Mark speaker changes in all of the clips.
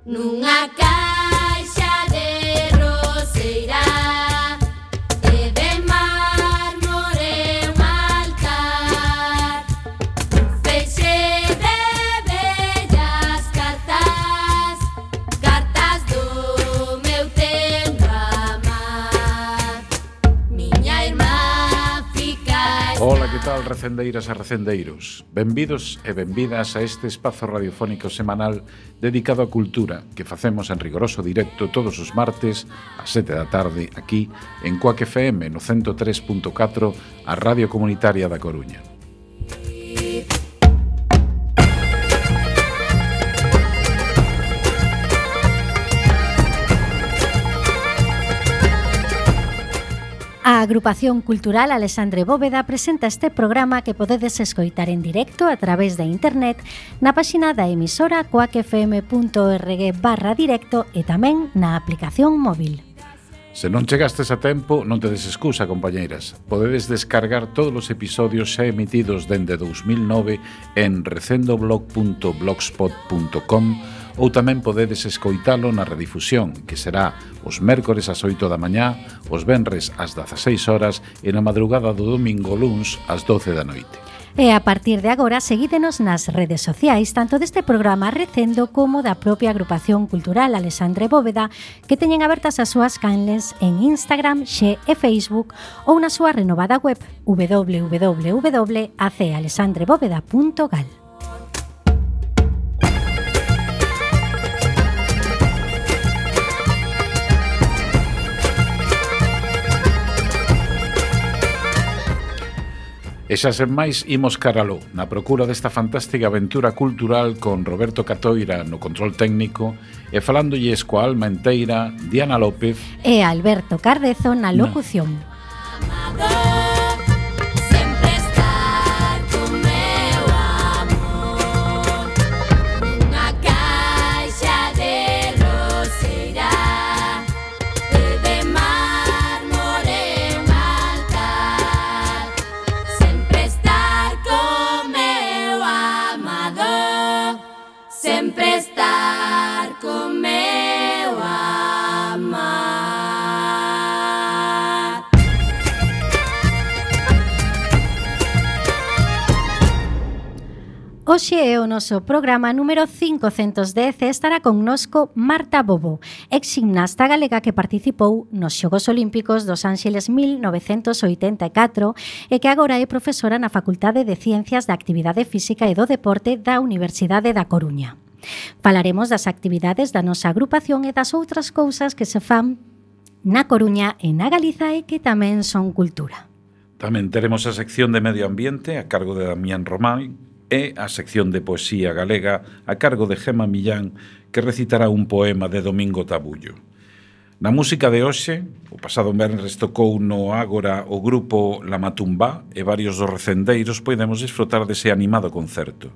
Speaker 1: Nunha caixa de roseira de mármore un altar, feixe de bellas cartas, cartas do meu tempo amar. Miña irmá fica.
Speaker 2: Ola, que tal, recendeiras e recendeiros? Benvidos e benvidas a este espazo radiofónico semanal dedicado á cultura que facemos en rigoroso directo todos os martes ás 7 da tarde aquí en Cuac FM no 103.4, a Radio Comunitaria da Coruña.
Speaker 3: A Agrupación Cultural Alexandre Bóveda presenta este programa que podedes escoitar en directo a través de internet na páxina da emisora coacfm.org/directo e tamén na aplicación móvil.
Speaker 2: Se non chegastes a tempo, non tedes excusa, compañeiras. Podedes descargar todos os episodios xa emitidos dende 2009 en recendoblog.blogspot.com ou tamén podedes escoitalo na redifusión, que será os mércores ás 8 da mañá, os venres ás 16 horas e na madrugada do domingo luns ás 12 da noite.
Speaker 3: E a partir de agora, seguídenos nas redes sociais, tanto deste programa Recendo como da propia Agrupación Cultural Alexandre Bóveda, que teñen abertas as súas canles en Instagram, Xe e Facebook ou na súa renovada web www.acalexandrebóveda.gal.
Speaker 2: E xa sen máis, imos caraló, na procura desta fantástica aventura cultural con Roberto Catoira no control técnico e falándolles coa alma enteira Diana López
Speaker 3: e Alberto Cardezo na locución. Hoxe é o noso programa número 510 e estará connosco Marta Bobo, ex gimnasta galega que participou nos Xogos Olímpicos dos Ánxeles 1984 e que agora é profesora na Facultade de Ciencias da Actividade Física e do Deporte da Universidade da Coruña. Falaremos das actividades da nosa agrupación e das outras cousas que se fan na Coruña e na Galiza e que tamén son cultura.
Speaker 2: Tamén teremos a sección de Medio Ambiente a cargo de Damián Román e a sección de Poesía Galega a cargo de Gema Millán, que recitará un poema de Domingo Tabullo. Na música de hoxe, o pasado venres tocou no Ágora o grupo La Matumbá e varios dos recendeiros podemos disfrutar dese animado concerto.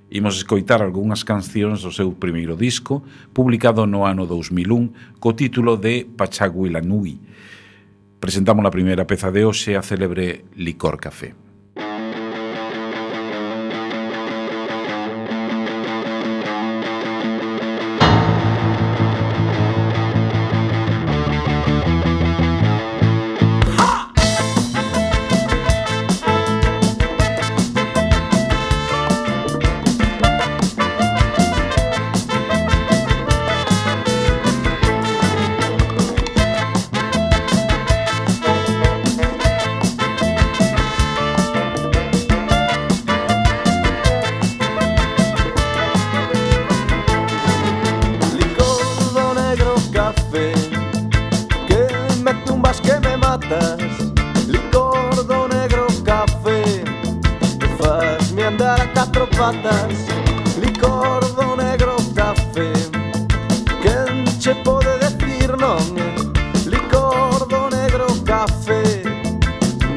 Speaker 2: Imos escoitar algunhas cancións do seu primeiro disco, publicado no ano 2001, co título de Pachaguilanui. Presentamos a primeira peza de hoxe, a célebre Licor Café.
Speaker 4: Licor do negro café, quen che pode decir non? Licor do negro café,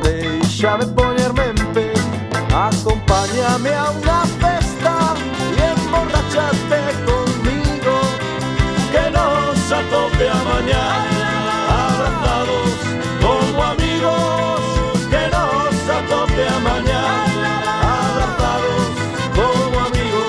Speaker 4: déixame poñerme en pé, acompáñame a unha festa e emborrachate conmigo, que nos atope a mañá, abrazados como amigos, que nos atope a mañá, abrazados como amigos.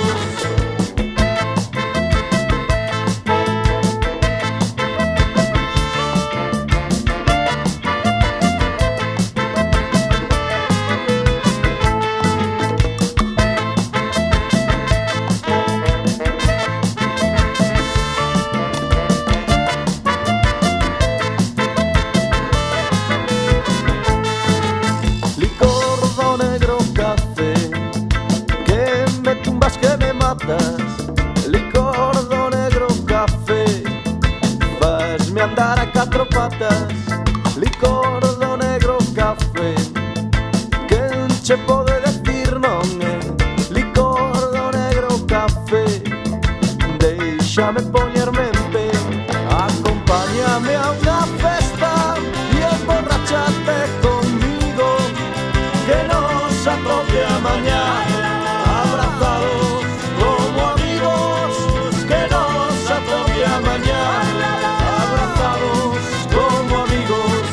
Speaker 4: matas, licor do negro café. Quen che pode decir non é licor do negro café? Déixame poñerme en pé, acompáñame a unha festa e emborrachate conmigo, que nos atope a mañá, abrazados como amigos, que nos atope a mañá, abrazados como amigos.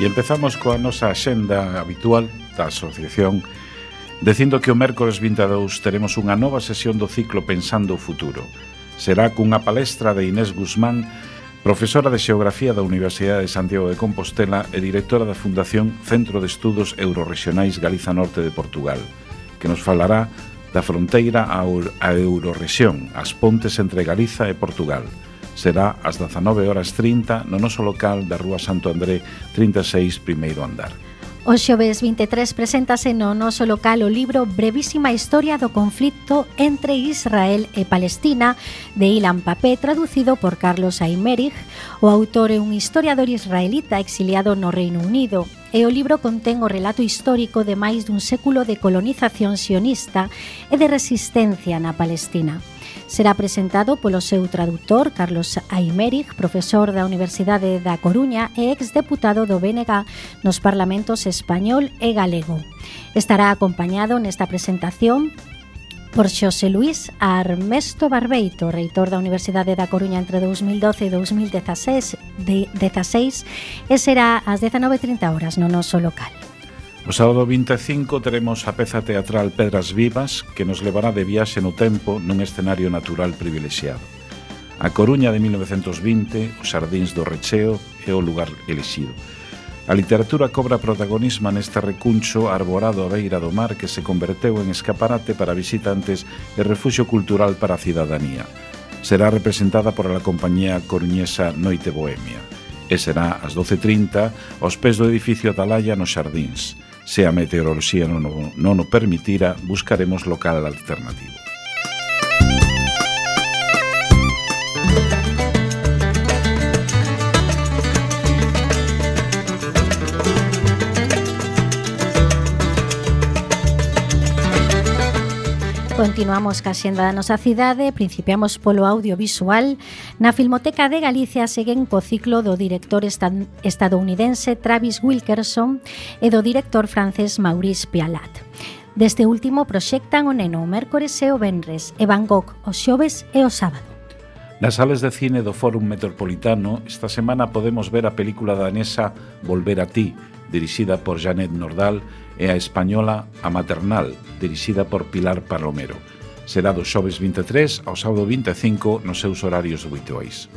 Speaker 2: E empezamos coa nosa axenda habitual da asociación, dicindo que o mércores 22 teremos unha nova sesión do ciclo Pensando o Futuro. Será cunha palestra de Inés Guzmán, profesora de Xeografía da Universidade de Santiago de Compostela e directora da Fundación Centro de Estudos Eurorregionais Galiza Norte de Portugal, que nos falará da fronteira á Eurorrexión, as pontes entre Galiza e Portugal. Será ás 19:30 no noso local da Rúa Santo André 36, primeiro andar.
Speaker 3: O xoves 23 preséntase no noso local o libro Brevísima Historia do conflito entre Israel e Palestina, de Ilan Pappé, traducido por Carlos Aymerich. O autor é un historiador israelita exiliado no Reino Unido, e o libro contén o relato histórico de máis dun século de colonización sionista e de resistencia na Palestina. Será presentado polo seu traductor, Carlos Aymerich, profesor da Universidade da Coruña e exdeputado do BNG nos parlamentos español e galego. Estará acompañado nesta presentación por Xosé Luís Armesto Barbeito, reitor da Universidade da Coruña entre 2012 e 2016, e será ás 19:30 no noso local.
Speaker 2: O sábado 25 teremos a peza teatral Pedras Vivas, que nos levará de viaxe no tempo nun escenario natural privilexiado. A Coruña de 1920, os Xardíns do Recheo é o lugar elixido. A literatura cobra protagonismo neste recuncho arborado á beira do mar que se converteu en escaparate para visitantes e refuxio cultural para a cidadanía. Será representada por a compañía coruñesa Noite Bohemia e será ás 12:30 aos pés do edificio Atalaya nos Xardíns. Se a meteoroloxía non o permitira, buscaremos local alternativo.
Speaker 3: Continuamos ca xenda da nosa cidade, principiamos polo audiovisual. Na Filmoteca de Galicia seguen co ciclo do director estadounidense Travis Wilkerson e do director francés Maurice Pialat. Deste último proxectan o Neno o mércores e o venres e Van Gogh o xoves e o sábado.
Speaker 2: Nas salas de cine do Fórum Metropolitano esta semana podemos ver a película danesa Volver a ti, dirixida por Janet Nordal, e a española A Maternal, dirixida por Pilar Palomero. Será do xoves 23 ao sábado 25 nos seus horarios habituais.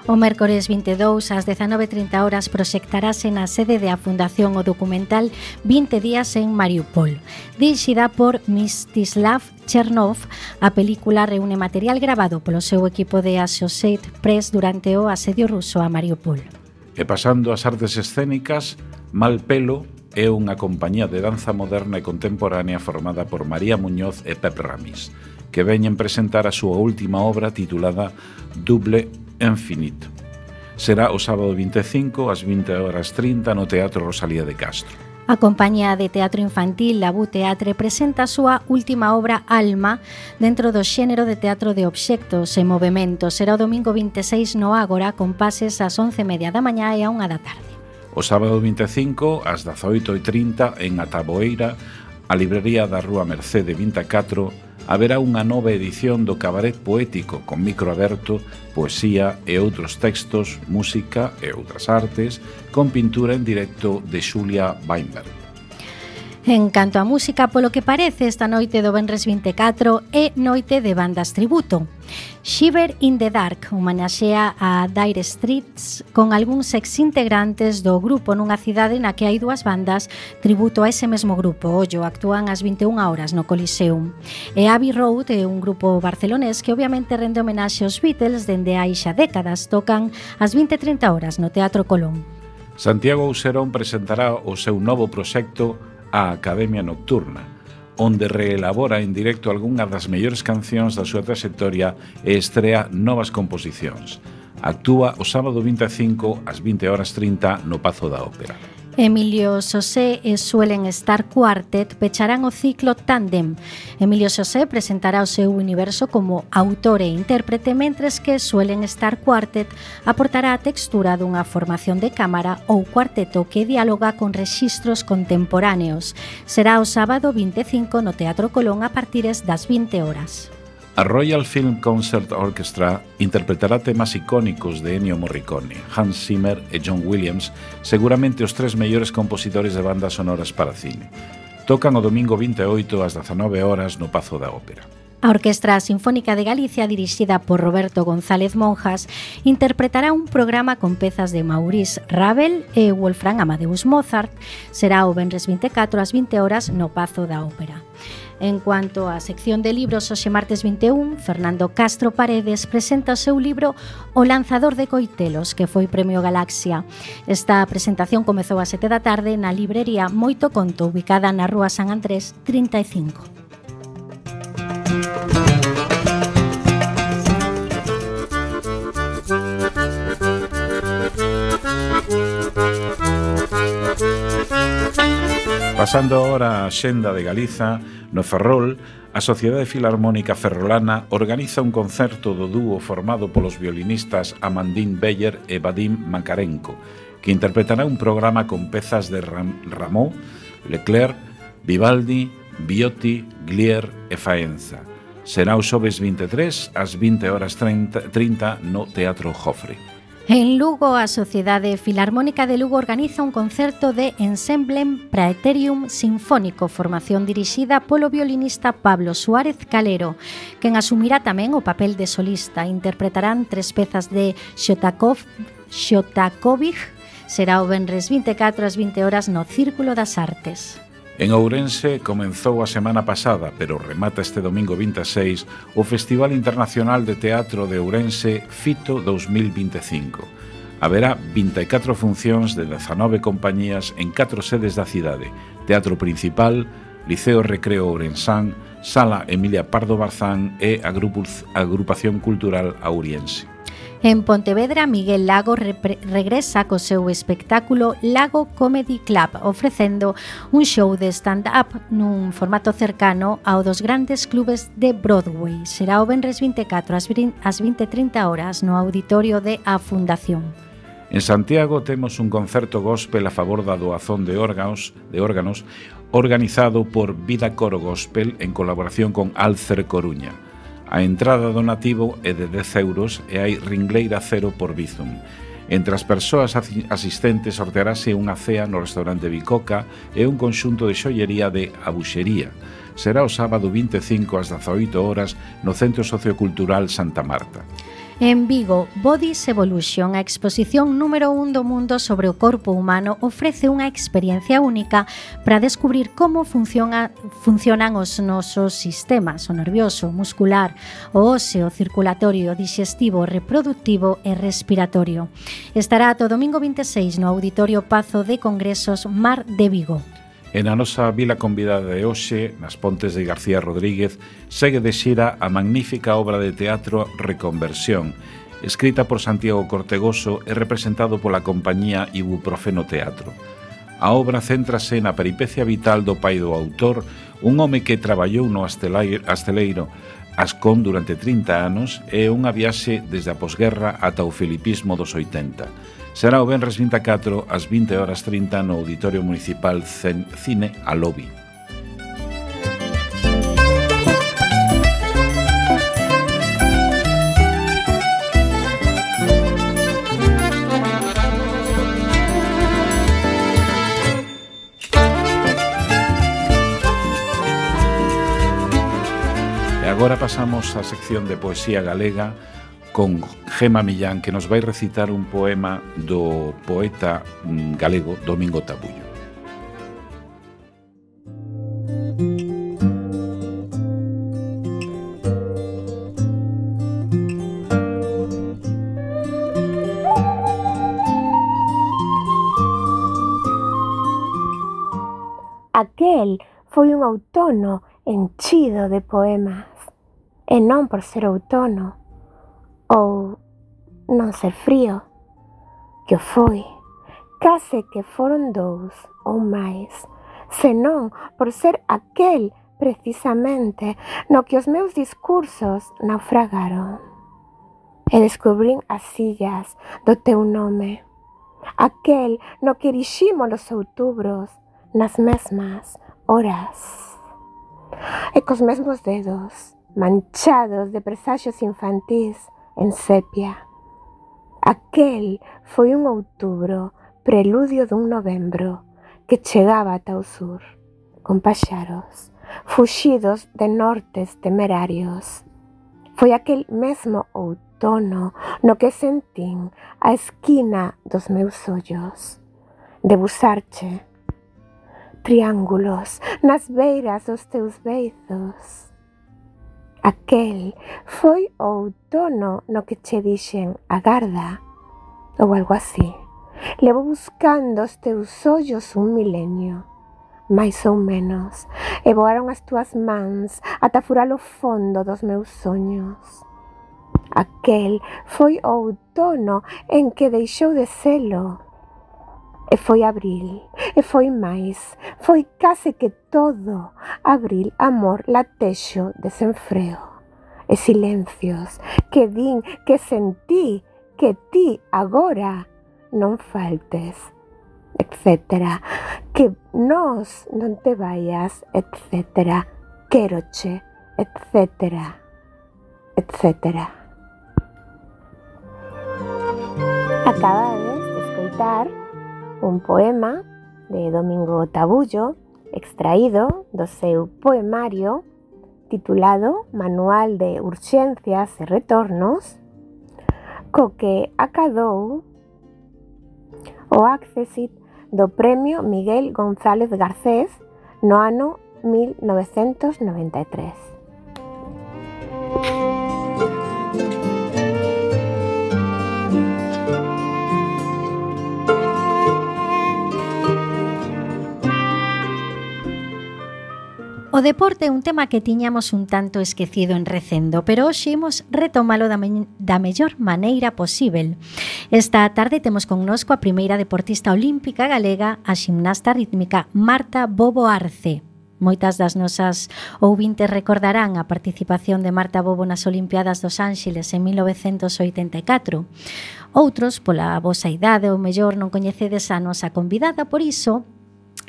Speaker 3: O mércores 22 ás 19:30 proxectarase na sede da Fundación o documental 20 días en Mariupol. Dirixida por Mstislav Chernov, a película reúne material grabado polo seu equipo de Associated Press durante o asedio ruso a Mariupol.
Speaker 2: E pasando ás artes escénicas, Mal Pelo é unha compañía de danza moderna e contemporánea formada por María Muñoz e Pep Ramis, que veñen presentar a súa última obra titulada Double Infinito. Será o sábado 25 ás 20:30 no Teatro Rosalía de Castro.
Speaker 3: A compañía de teatro infantil Labu Teatre presenta a súa última obra Alma dentro do xénero de teatro de obxectos e movementos. Será o domingo 26 no Ágora con pases ás 11:30 da mañá e a 1 da tarde.
Speaker 2: O sábado 25 ás 18:30 en Ataboeira, a librería da Rúa Mercede 24, haberá unha nova edición do Cabaret Poético con micro aberto, poesía e outros textos, música e outras artes, con pintura en directo de Xulia Weinberg.
Speaker 3: En canto a música, polo que parece, esta noite do Venres 24 é noite de bandas tributo. Shiver in the Dark homenaxea a Dire Straits con algúns ex-integrantes do grupo nunha cidade na que hai dúas bandas tributo a ese mesmo grupo. Ollo, actúan ás 21 horas no Coliseum. E Abbey Road é un grupo barcelonés que obviamente rende homenaxe aos Beatles dende hai xa décadas. Tocan ás 20:30 horas no Teatro Colón.
Speaker 2: Santiago Ouserón presentará o seu novo proxecto a Academia Nocturna, onde reelabora en directo algunhas das mellores cancións da súa trayectoria e estrea novas composicións. Actúa o sábado 25 ás 20:30 no Pazo da Ópera.
Speaker 3: Emilio Xosé e Suelen Estar Quartet pecharán o ciclo Tándem. Emilio Xosé presentará o seu universo como autor e intérprete, mentres que Suelen Estar Quartet aportará a textura dunha formación de cámara ou cuarteto que dialoga con rexistros contemporáneos. Será o sábado 25 no Teatro Colón a partires das 20 horas.
Speaker 2: A Royal Film Concert Orchestra interpretará temas icónicos de Ennio Morricone, Hans Zimmer e John Williams, seguramente os tres mellores compositores de bandas sonoras para cine. Tocan o domingo 28 ás 19 horas no Pazo da Ópera.
Speaker 3: A Orquestra Sinfónica de Galicia, dirixida por Roberto González Monjas, interpretará un programa con pezas de Maurice Ravel e Wolfgang Amadeus Mozart. Será o venres 24 ás 20 horas no Pazo da Ópera. En cuanto á sección de libros, hoxe martes 21, Fernando Castro Paredes presenta o seu libro O lanzador de coitelos, que foi Premio Galaxia. Esta presentación comezou ás 7 da tarde na librería Moito Conto, ubicada na Rúa San Andrés 35.
Speaker 2: Pasando ahora a xenda de Galiza, no Ferrol, a Sociedade Filarmónica Ferrolana organiza un concerto do dúo formado polos violinistas Amandín Beyer e Vadim Makarenko, que interpretará un programa con pezas de Rameau, Leclerc, Vivaldi, Viotti, Glier e Faenza. Será o xoves 23 ás 20:30 no Teatro Jofre.
Speaker 3: En Lugo, a Sociedade Filarmónica de Lugo organiza un concerto de Ensemblem Praetorium Sinfónico, formación dirixida polo violinista Pablo Suárez Calero, quen asumirá tamén o papel de solista. Interpretarán tres pezas de Shostakovich. Será o venres 24 ás 20 horas no Círculo das Artes.
Speaker 2: En Ourense comenzou a semana pasada, pero remata este domingo 26, o Festival Internacional de Teatro de Ourense FITO 2025. Haberá 24 funcións de 19 compañías en 4 sedes da cidade: Teatro Principal, Liceo Recreo Ourensán, Sala Emilia Pardo Barzán e Agrupación Cultural Auriense.
Speaker 3: En Pontevedra, Miguel Lago regresa co seu espectáculo Lago Comedy Club, ofrecendo un show de stand-up nun formato cercano ao dos grandes clubes de Broadway. Será o venres 24 ás 20:30 horas no auditorio de A Fundación.
Speaker 2: En Santiago temos un concerto gospel a favor da doazón de órganos organizado por Vida Coro Gospel en colaboración con Alcer Coruña. A entrada do nativo é de 10 euros e hai ringleira cero por Bizum. Entre as persoas asistentes sortearase unha cea no restaurante Bicoca e un conxunto de xollería de Abuxería. Será o sábado 25 ás 18 horas no Centro Sociocultural Santa Marta.
Speaker 3: En Vigo, Bodies Evolution, a exposición número 1 do mundo sobre o corpo humano, ofrece unha experiencia única para descubrir como funcionan os nosos sistemas, o nervioso, muscular, o óseo, circulatorio, digestivo, reproductivo e respiratorio. Estará ata o domingo 26 no Auditorio Pazo de Congresos Mar de Vigo.
Speaker 2: E na nosa vila convidada de hoxe, nas Pontes de García Rodríguez, segue de xira a magnífica obra de teatro Reconversión, escrita por Santiago Cortegoso e representado pola compañía Ibuprofeno Teatro. A obra céntrase na peripecia vital do pai do autor, un home que traballou no asteleiro Ascón durante 30 anos e unha viaxe desde a posguerra ata o filipismo dos 80. Será o venres 24 ás 20:30 no Auditorio Municipal Cine Alobi. Agora pasamos á sección de poesía galega con Gema Millán, que nos vai recitar un poema do poeta galego Domingo Tabullo.
Speaker 5: Aquel foi un outono enchido de poemas, e non por ser outono ou non ser frío, que o foi, case que foron 2 ou máis, senón por ser aquel precisamente no que os meus discursos naufragaron. E descubrín as illas do teu nome, aquel no que eriximos os outubros nas mesmas horas. E cos mesmos dedos, manchados de presaxios infantís en sepia. Aquel foi un outubro, preludio dun novembro, que chegaba ata o sur, con paxaros, fuxidos de nortes temerarios. Foi aquel mesmo outono no que sentín a esquina dos meus ollos, debusarche triángulos nas beiras dos teus beizos. Aquel foi o outono no que che dixen agarda, ou algo así. Levo buscando os teus ollos un milenio, máis ou menos, e voaron as túas mans ata furar o fondo dos meus soños. Aquel foi o outono en que deixou de selo. E foi abril, e foi máis, foi case que todo abril, amor, latexo, desenfreo, e silencios que din, que sentí, que ti agora non faltes, etcétera, que nós non te vayas, etcétera, quéroche, etcétera, etcétera. Acabades de escoitar un poema de Domingo Tabullo, extraído do seu poemario titulado Manual de Urxencias e Retornos, co que acadou o Accessit do Premio Miguel González Garcés no ano 1993.
Speaker 3: O deporte é un tema que tiñamos un tanto esquecido en Recendo, pero hoxe imos retomalo da mellor maneira posível. Esta tarde temos connosco a primeira deportista olímpica galega, a ximnasta rítmica Marta Bobo Arce. Moitas das nosas ouvintes recordarán a participación de Marta Bobo nas Olimpiadas dos Ángeles en 1984. Outros, pola vosa idade ou mellor, non coñecedes a nosa convidada, por iso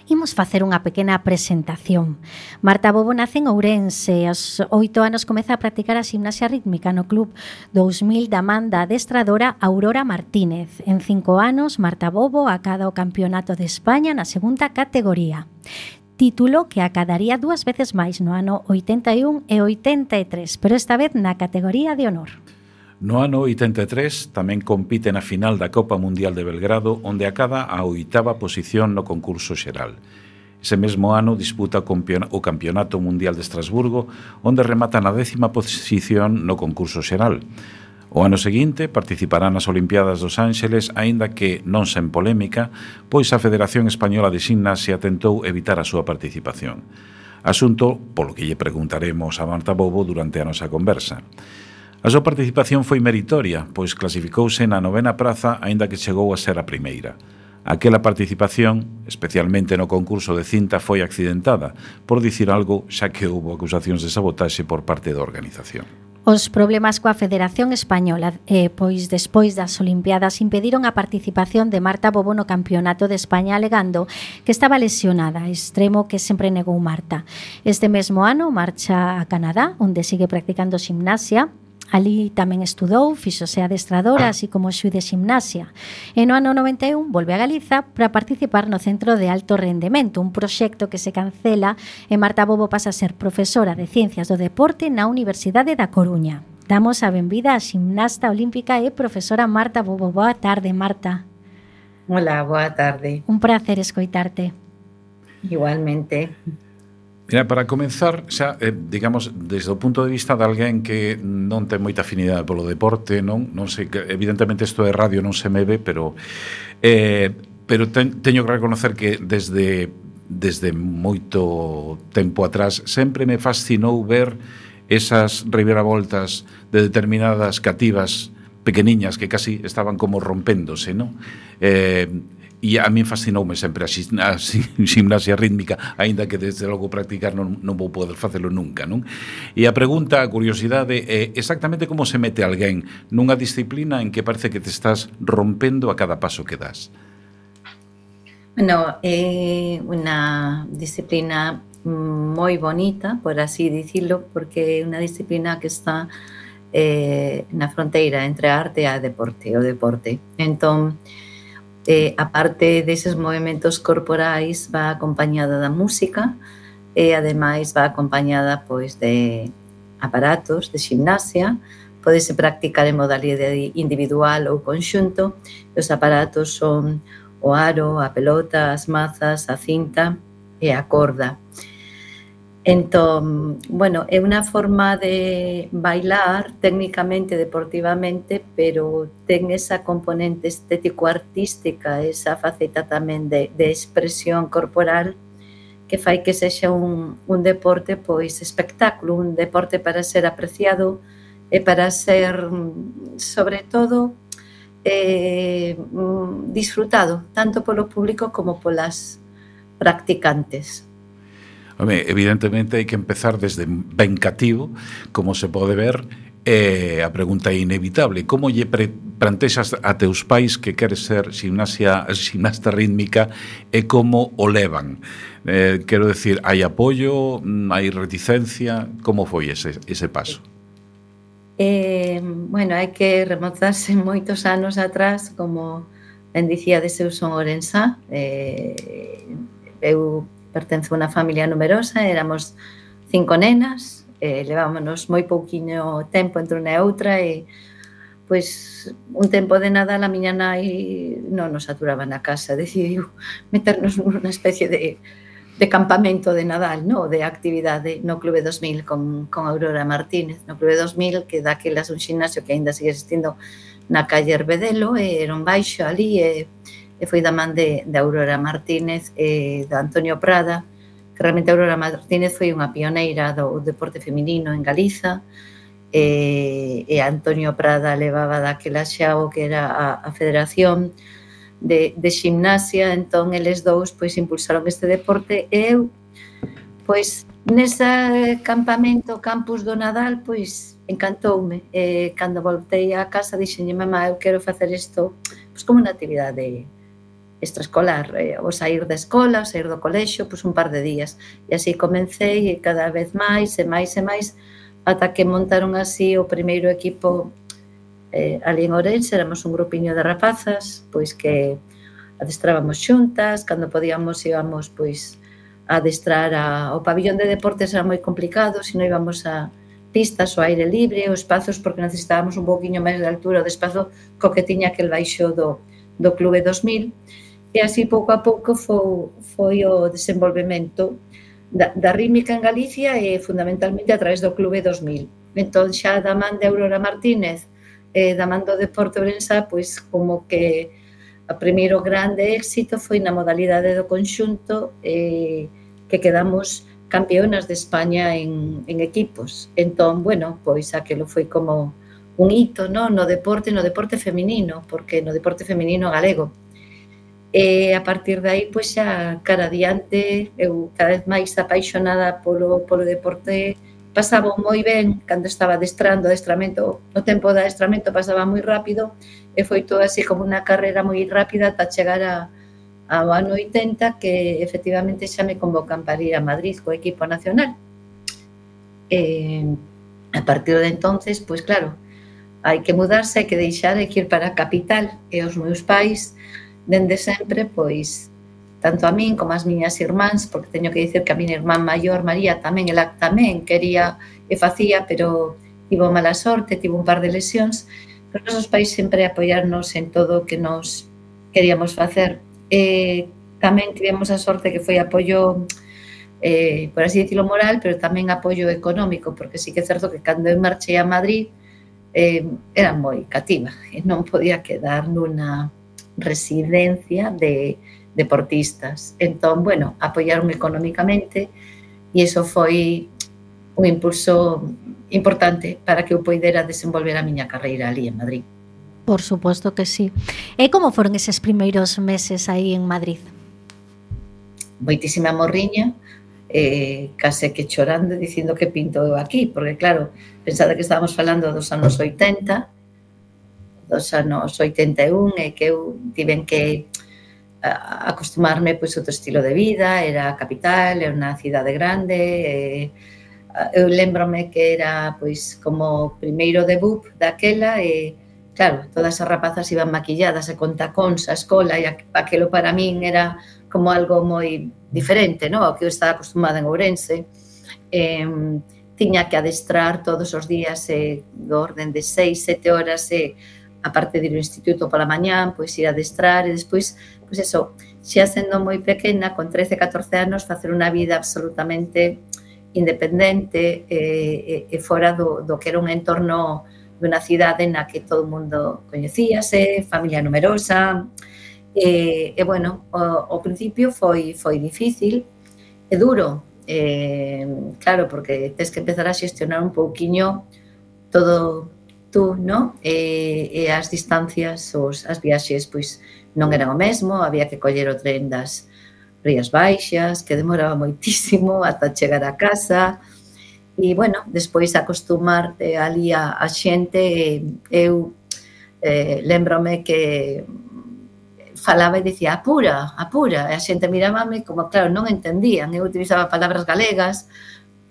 Speaker 3: imos facer unha pequena presentación. Marta Bobo nace en Ourense, aos 8 anos comeza a practicar a ximnasia rítmica no Club 2000 da man da adestradora Aurora Martínez. En 5 anos, Marta Bobo acada o Campeonato de España na segunda categoría. Título que acadaría 2 veces máis no ano 81 e 83, pero esta vez na categoría de honor.
Speaker 2: No ano 83 tamén compite na final da Copa Mundial de Belgrado, onde acada a 8ª posición no concurso xeral. Ese mesmo ano disputa o Campeonato Mundial de Estrasburgo, onde remata na 10ª posición no concurso xeral. O ano seguinte participará nas Olimpiadas dos Ángeles, aínda que non sen polémica, pois a Federación Española de Ximnasia tentou evitar a súa participación. Asunto polo que lle preguntaremos a Marta Bobo durante a nosa conversa. A súa participación foi meritoria, pois clasificouse na 9ª praza, aínda que chegou a ser a primeira. Aquela participación, especialmente no concurso de cinta, foi accidentada, por dicir algo, xa que houve acusacións de sabotaxe por parte da organización.
Speaker 3: Os problemas coa Federación Española, pois despois das Olimpiadas, impediron a participación de Marta Bobo no Campeonato de España, alegando que estaba lesionada, extremo que sempre negou Marta. Este mesmo ano marcha a Canadá, onde sigue practicando ximnasia. Ali tamén estudou, fíxose adestradora, así como xuiz de ximnasia. E no ano 91 volve a Galiza para participar no Centro de Alto Rendemento, un proxecto que se cancela e Marta Bobo pasa a ser profesora de Ciencias do Deporte na Universidade da Coruña. Damos a benvida á ximnasta olímpica e profesora Marta Bobo. Boa tarde, Marta.
Speaker 6: Hola, boa tarde.
Speaker 3: Un placer escoitarte.
Speaker 6: Igualmente.
Speaker 2: Mira, para comenzar, xa, digamos, desde o punto de vista de alguén que non ten moita afinidade polo deporte, non sei, evidentemente isto é radio, non se me ve, pero teño que reconocer que desde moito tempo atrás sempre me fascinou ver esas reviravoltas de determinadas cativas pequeniñas que casi estaban como rompéndose, non? E a min fascinoume sempre a ximnasia rítmica, aínda que desde logo practicar non vou poder facelo nunca, non? E a pregunta, a curiosidade é exactamente como se mete alguén nunha disciplina en que parece que te estás rompendo a cada paso que das.
Speaker 6: Bueno, é unha disciplina moi bonita, por así dicirlo, porque é unha disciplina que está na fronteira entre a arte e o deporte. Entón, a parte deses movimentos corporais va acompañada da música e ademais va acompañada pois de aparatos de ximnasia. Pódese practicar en modalidade individual ou conxunto. Os aparatos son o aro, a pelota, as mazas, a cinta e a corda. Entón, bueno, é unha forma de bailar técnicamente, deportivamente, pero ten esa componente estético-artística, esa faceta tamén de expresión corporal que fai que sexa un deporte pois espectáculo, un deporte para ser apreciado e para ser, sobre todo, disfrutado, tanto polo público como polas practicantes.
Speaker 2: Home, evidentemente hai que empezar desde ben cativo, como se pode ver, a pregunta é inevitable. Como lle plantexas a teus pais que queres ser ximnasta rítmica e como o levan? Quero decir, hai apoio, hai reticencia, como foi ese paso?
Speaker 6: Bueno, hai que remontarse moitos anos atrás, como ben dicía, de eu son orensá. Eu pertenzo a unha familia numerosa, éramos 5 nenas, levámonos moi pouquiño tempo entre unha e outra e, pois, un tempo de Nadal a miña nai non nos aturaba na casa, decidiu meternos nunha especie de campamento de Nadal, no? De actividade no Clube 2000 con Aurora Martínez. No Clube 2000, que daquelas un ximnasio que aínda sigue existindo na calle Herbedelo, era un baixo ali e foi da man de Aurora Martínez e da Antonio Prada, que realmente Aurora Martínez foi unha pioneira do deporte feminino en Galiza, e Antonio Prada levaba daquela xa o que era a Federación de Ximnasia. Entón, eles dous pois impulsaron este deporte e eu, pois, nese campamento, campus do Nadal, pois, encantoume. Cando voltei á casa, dixenlle, mamá, eu quero facer isto pois como unha actividade extraescolar, o sair da escola, o sair do colexio, pois un par de días. E así comecei e cada vez máis e máis e máis, ata que montaron así o primeiro equipo ali en Ourense. Éramos un grupiño de rapazas, pois que adestrábamos xuntas, cando podíamos íbamos pois a adestrar ao pabillón de deportes. Era moi complicado, se non íbamos a pistas ao aire libre, os espazos, porque necesitábamos un pouquiño máis de altura, o espazo co que tiña aquel baixo do Clube 2000. E así pouco a pouco foi o desenvolvemento da rítmica en Galicia e fundamentalmente a través do Clube 2000. Entón, xa da man de Aurora Martínez e da man do deporte ourensá, pois como que o primeiro grande éxito foi na modalidade do conxunto, que quedamos campeonas de España en equipos. Entón, bueno, pois aquilo foi como un hito, no deporte feminino, porque no deporte feminino galego. E a partir de aí, pois xa cara adiante, eu cada vez máis apaixonada polo deporte, pasaba moi ben cando estaba adestrando, o tempo de adestramento pasaba moi rápido e foi todo así como unha carreira moi rápida ata chegar ao ano 80 que efectivamente xa me convocan para ir a Madrid co equipo nacional. A partir de entonces, pois claro, hai que mudarse, hai que deixar, hai que ir para a capital e os meus pais dende sempre, pois, tanto a min como as miñas irmáns, porque teño que dicir que a miña irmán maior, María, tamén, ela tamén quería e facía, pero tivo mala sorte, tivo un par de lesións, pero os nosos pais sempre apoiarnos en todo o que nos queríamos facer. Tamén tivemos a sorte que foi apoio, por así dicilo, moral, pero tamén apoio económico, porque sí que é certo que cando eu marchei a Madrid era moi cativa e non podía quedar nunha residencia de deportistas. Entón, bueno, apoiaron económicamente e iso foi un impulso importante para que eu poidera desenvolver a miña carreira ali en Madrid.
Speaker 3: Por suposto que sí. E como foron eses primeiros meses aí en Madrid?
Speaker 6: Moitísima morriña, case que chorando dicindo que pinto eu aquí, porque claro, pensada que estábamos falando dos anos 80, dos anos 81 e que eu tiven que acostumarme pois outro estilo de vida, era a capital, era unha cidade grande, eu lembrome que era pois como primeiro debut daquela e claro, todas as rapazas iban maquilladas e con tacóns á escola e aquilo para min era como algo moi diferente, no? Ao que eu estaba acostumada en Ourense. Tiña que adestrar todos os días do orden de 6, 7 horas a parte de ir ao instituto pola mañán, pois ir a adestrar e despois, pois eso, xa sendo moi pequena, con 13, 14 anos, facer unha vida absolutamente independente e fora do que era un entorno dunha cidade na que todo o mundo coñecíase, familia numerosa, e bueno, ao principio foi difícil e duro, claro, porque tens que empezar a xestionar un pouquiño todo tú, no? E as distancias, as viaxes, pois non eran o mesmo, había que coller o tren das Rías Baixas, que demoraba moitísimo ata chegar a casa, e, bueno, despois acostumarte ali a xente, eu lembrome que falaba e dicía apura, apura, e a xente mirábame como, claro, non entendían, eu utilizaba palabras galegas,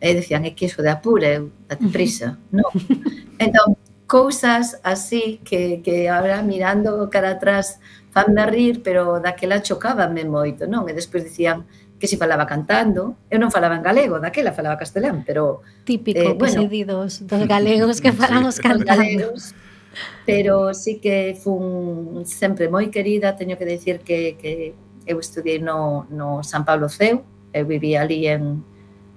Speaker 6: e decían, é que iso de apura, eu, date prisa, non? Entón, cousas así que agora mirando cara atrás fanme rir, pero daquela chocábame moito, non? E despois dicían que si falaba cantando, eu non falaba en galego, daquela falaba castelán, pero...
Speaker 3: Típico, bueno, que se di dos galegos que falamos cantando. Galegos,
Speaker 6: pero sí que fun sempre moi querida, teño que decir que eu estudiei no San Pablo Ceu, eu vivía ali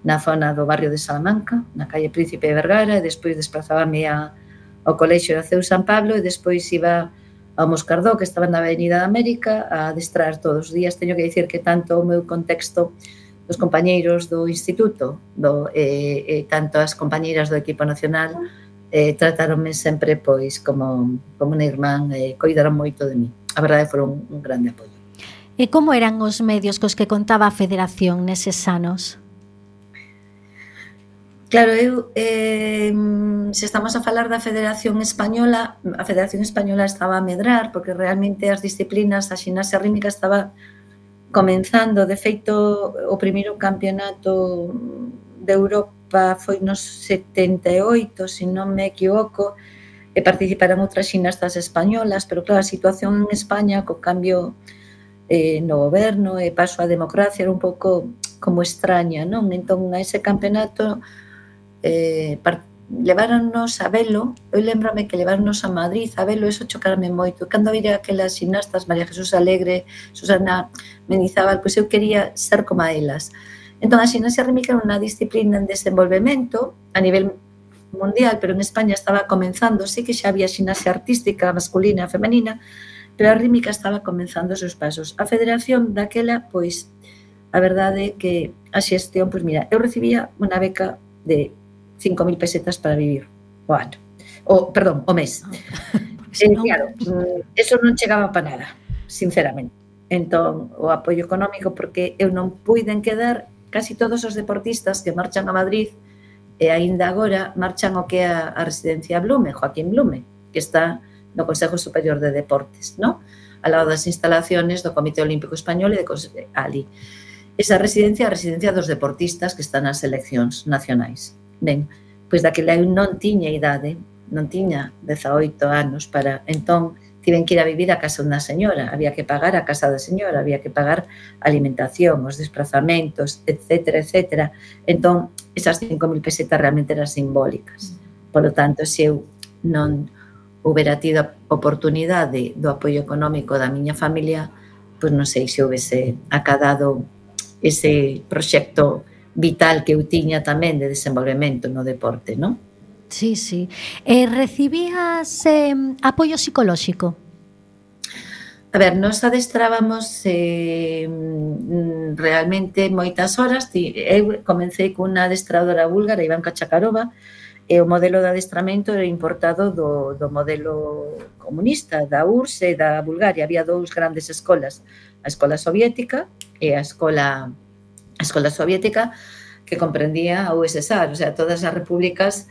Speaker 6: na zona do barrio de Salamanca, na calle Príncipe de Vergara, e despois desplazábame ao colexio de Ceu San Pablo e despois iba ao Moscardó, que estaba na Avenida de América, a adestrar todos os días. Teño que dicir que tanto o meu contexto dos compañeiros do instituto tanto as compañeiras do equipo nacional tratáronme sempre pois como unha irmán, coidaron moito de mí. A verdade, foron un grande apoio.
Speaker 3: E como eran os medios cos que contaba a Federación neses anos?
Speaker 6: Claro, eu, se estamos a falar da Federación Española, a Federación Española estaba a medrar, porque realmente as disciplinas, a ximnasia rítmica estaba comenzando. De feito, o primeiro campeonato de Europa foi nos 78, se non me equivoco, e participaron outras ximnastas españolas, pero claro, a situación en España, co cambio no goberno e paso á democracia, era un pouco como extraña, non? Entón, a ese campeonato leváronnos a velo, eu lembrame que leváronnos a Madrid a velo, eso chocarme moito. Cando vira aquelas ximnastas, María Jesús Alegre, Susana Mendizábal, pois eu quería ser como a elas. Entón, a ximnasia rítmica era unha disciplina en desenvolvemento a nivel mundial, pero en España estaba comenzando, sí que xa había ximnasia artística masculina e femenina, pero a rítmica estaba comenzando os seus pasos. A federación daquela, pois, a verdade é que a xestión, pois mira, eu recibía unha beca de 5.000 pesetas para vivir o ano. O mes. Claro, eso non chegaba para nada, sinceramente. entón o apoio económico, porque eu non puiden quedar casi todos os deportistas que marchan a Madrid e aínda agora marchan o que é a residencia Blume, Joaquín Blume, que está no Consejo Superior de Deportes, ¿no? Ao lado das instalaciones do Comité Olímpico Español e de ali. Esa residencia é a residencia dos deportistas que están nas seleccións nacionais. Ben, pois daquela eu non tiña idade, non tiña 18 anos para, entón, tiven que ir a vivir a casa dunha señora, había que pagar a casa da señora, había que pagar a alimentación, os desplazamentos, etcétera, etcétera. Entón, esas 5.000 pesetas realmente eran simbólicas. Por lo tanto, se eu non houbera tido a oportunidade do apoio económico da miña familia, pois non sei se houvese acadado ese proxecto vital que eu tiña tamén de desenvolvemento no deporte, non?
Speaker 3: Sí, sí. Recibías apoio psicolóxico?
Speaker 6: A ver, nos adestrábamos realmente moitas horas. Eu comecei cunha adestradora búlgara, Ivanka Chakarova, e o modelo de adestramento era importado do modelo comunista, da URSS e da Bulgaria. Había dous grandes escolas, a escola soviética e a escola soviética, que comprendía a USSR, o sea, todas as repúblicas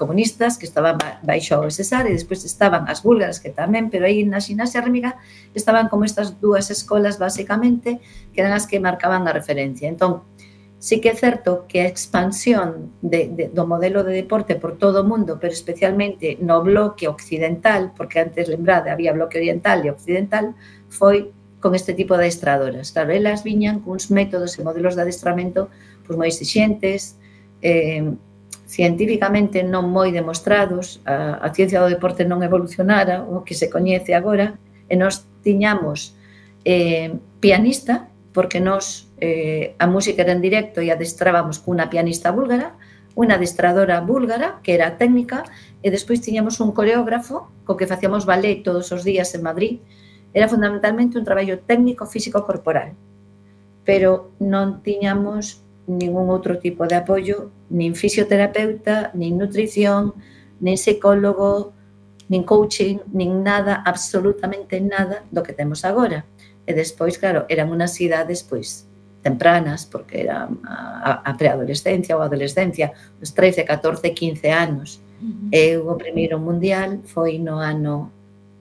Speaker 6: comunistas que estaban baixo a USSR, e despois estaban as búlgaras que tamén, pero aí na ximnasia rítmica estaban como estas dúas escolas basicamente, que eran as que marcaban a referencia. Entón, sí que é certo que a expansión do modelo de deporte por todo o mundo, pero especialmente no bloque occidental, porque antes, lembrade, había bloque oriental e occidental, foi con este tipo de adestradoras. Claro, elas viñan cuns métodos e modelos de adestramento pois moi exixentes, científicamente non moi demostrados, a ciencia do deporte non evolucionara, o que se coñece agora, e nós tiñamos pianista, porque nós a música era en directo e adestrábamos cunha pianista búlgara, unha adestradora búlgara, que era técnica, e despois tiñamos un coreógrafo co que facíamos ballet todos os días en Madrid. Era fundamentalmente un traballo técnico físico corporal, pero non tiñamos ningún outro tipo de apoio, nin fisioterapeuta, nin nutrición, nin psicólogo, nin coaching, nin nada, absolutamente nada do que temos agora. E despois, claro, eran unas idades pois tempranas, porque era a preadolescencia ou a adolescencia, os 13, 14, 15 anos. Eu o primeiro mundial foi no ano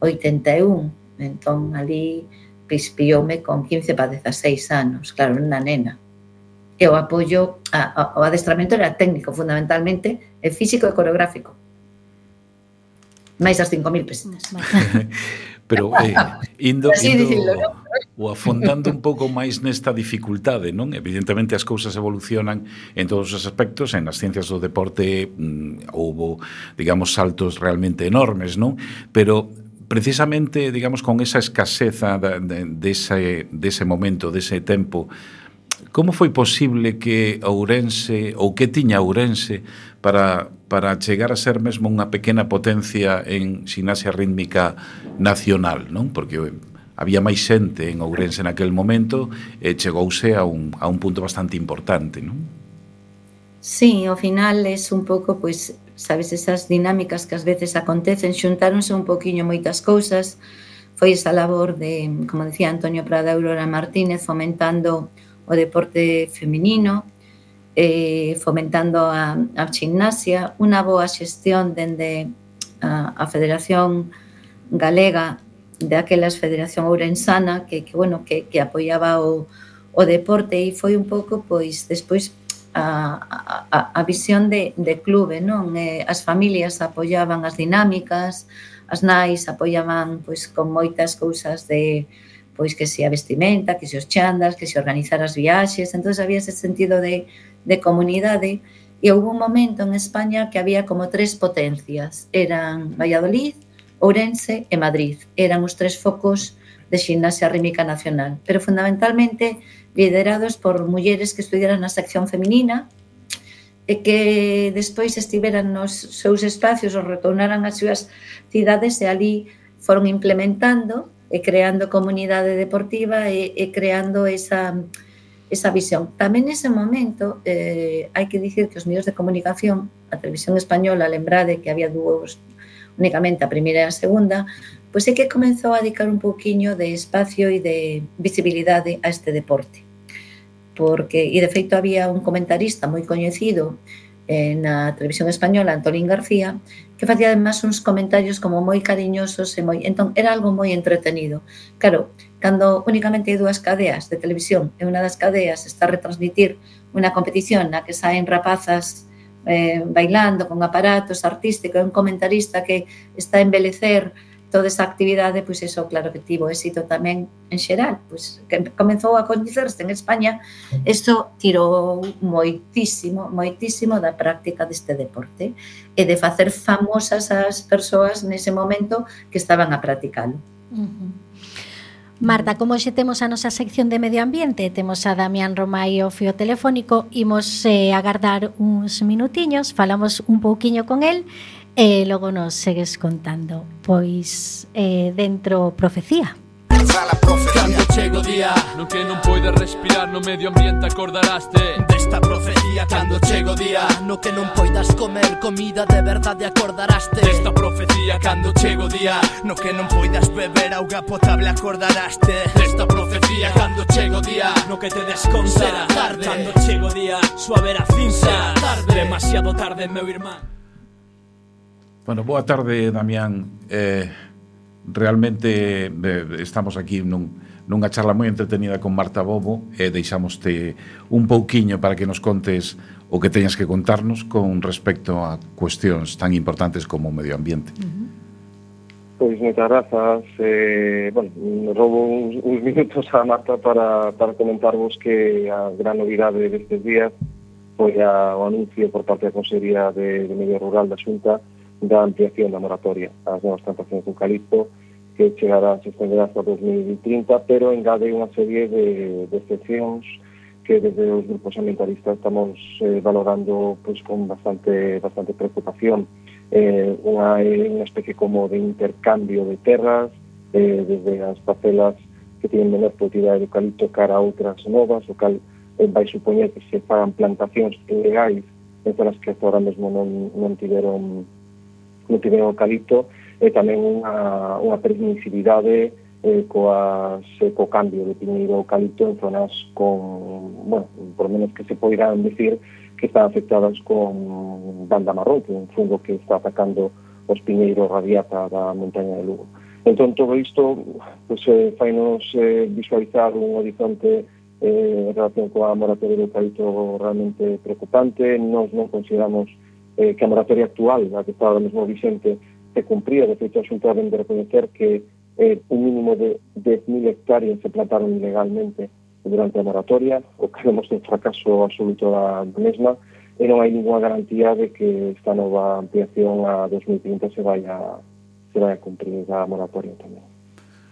Speaker 6: 81, entón ali pilloume con 15 para 16 anos, claro, unha nena. E o apoio, o adestramento era técnico, fundamentalmente, e físico e coreográfico. Mais as 5.000 pesetas.
Speaker 2: Pero indo ou afondando un pouco máis nesta dificultade, non? Evidentemente as cousas evolucionan en todos os aspectos, en as ciencias do deporte houbo, digamos, saltos realmente enormes, non? Pero precisamente, digamos, con esa escaseza dese momento, dese tempo, como foi posible que Ourense, ou que tiña Ourense, para chegar a ser mesmo unha pequena potencia en ximnasia rítmica nacional, non? Porque había máis xente en Ourense naquel momento e chegouse a un punto bastante importante, non?
Speaker 6: Sí, ao final é un pouco, pois, sabes, esas dinámicas que ás veces acontecen, xuntáronse un poquinho moitas cousas, foi esa labor de, como decía Antonio Prada e Aurora Martínez, fomentando o deporte feminino, fomentando a gimnasia, unha boa xestión dende a Federación Galega, de aquelas Federación Ourensana, que apoiaba o deporte, e foi un pouco, pois, despois, a visión de clube, non? As familias apoiaban as dinámicas, as nais apoiaban pois con moitas cousas de pois que se a vestimenta, que se os chandas, que se organizar as viaxes. Entón había ese sentido de comunidade, e houve un momento en España que había como 3 potencias, eran Valladolid, Ourense e Madrid, eran os 3 focos de ximnasia rítmica nacional, pero fundamentalmente liderados por mulleres que estudiaran na sección feminina e que despois estiveran nos seus espacios ou retornaran ás súas cidades, e ali foron implementando e creando comunidade deportiva e creando esa visión. Tamén nese momento hai que dicir que os medios de comunicación, a televisión española, lembrade que había únicamente a primeira e a segunda, pois é que comezou a dedicar un pouquiño de espacio e de visibilidade a este deporte. Porque, e de feito había un comentarista moi coñecido na televisión española, Antolín García, que facía además uns comentarios como moi cariñosos e moi, entón era algo moi entretenido. Claro, cando únicamente hai dúas cadeas de televisión e unha das cadeas está a retransmitir unha competición na que saen rapazas bailando con aparatos artísticos e un comentarista que está a embelecer toda esa actividade, pois iso claro que tivo éxito tamén en xeral, pois que comezou a coñecerse en España, isto tirou moitísimo da práctica deste deporte e de facer famosas as persoas nese momento que estaban a practicalo.
Speaker 3: Marta, como xe temos a nosa sección de medio ambiente, temos a Damián Romai ao fío telefónico, imos agardar uns minutiños, falamos un pouquiño con el e logo nos segues contando. Pois dentro Profecía.
Speaker 7: Cando chego o día no que non poides respirar, no medio ambiente acordaraste desta profecía. Cando chego o día no que non poidas comer comida de verdade, acordaraste desta profecía. Cando chego o día no que non poidas beber auga potable, acordaraste desta profecía. Cando chego o día no que te desconta tarde. Cando chego o día suave a cinza tarde. Demasiado tarde, meu irmán.
Speaker 2: Bueno, boa tarde, Damián. Realmente estamos aquí nunha charla moi entretenida con Marta Bobo e deixamoste un pouquiño para que nos contes o que teñas que contarnos con respecto a cuestións tan importantes como o medio ambiente.
Speaker 8: Pois moitas grazas. Bueno, roubo uns minutos a Marta para comentarvos que a gran novidade destes días foi o anuncio por parte da Consellería de Medio Rural da Xunta da ampliación da moratoria ás novas plantacións de eucalipto, que chegará, se estenderá hasta 2030, pero engade unha serie de excepcións que desde os grupos ambientalistas estamos valorando pois con bastante preocupación. Unha especie como de intercambio de terras, desde as parcelas que tienen menor productividade de eucalipto cara a outras novas, o cal vai supoñer que se fagan plantacións ilegais en zonas que hasta ahora mesmo non tiveron eucalipto, e tamén unha permisividade co cambio de piñeiro eucalipto en zonas con, bueno, por lo menos que se poderán decir que están afectadas con banda marrón, que é un fungo que está atacando os piñeiros radiata da montaña de Lugo. Entón, todo isto pues, fainos visualizar un horizonte en relación coa moratoria do eucalipto realmente preocupante. Nos non consideramos que a moratoria actual, a que está ahora mesmo vigente, se cumpría. De feito, a Xunta vem de recoñecer que un mínimo de 10.000 hectáreas se plantaron ilegalmente durante a moratoria, o que vemos un fracaso absoluto da mesma, e non hai ninguna garantía de que esta nova ampliación a 2030 se vai a cumprir a moratoria tamén.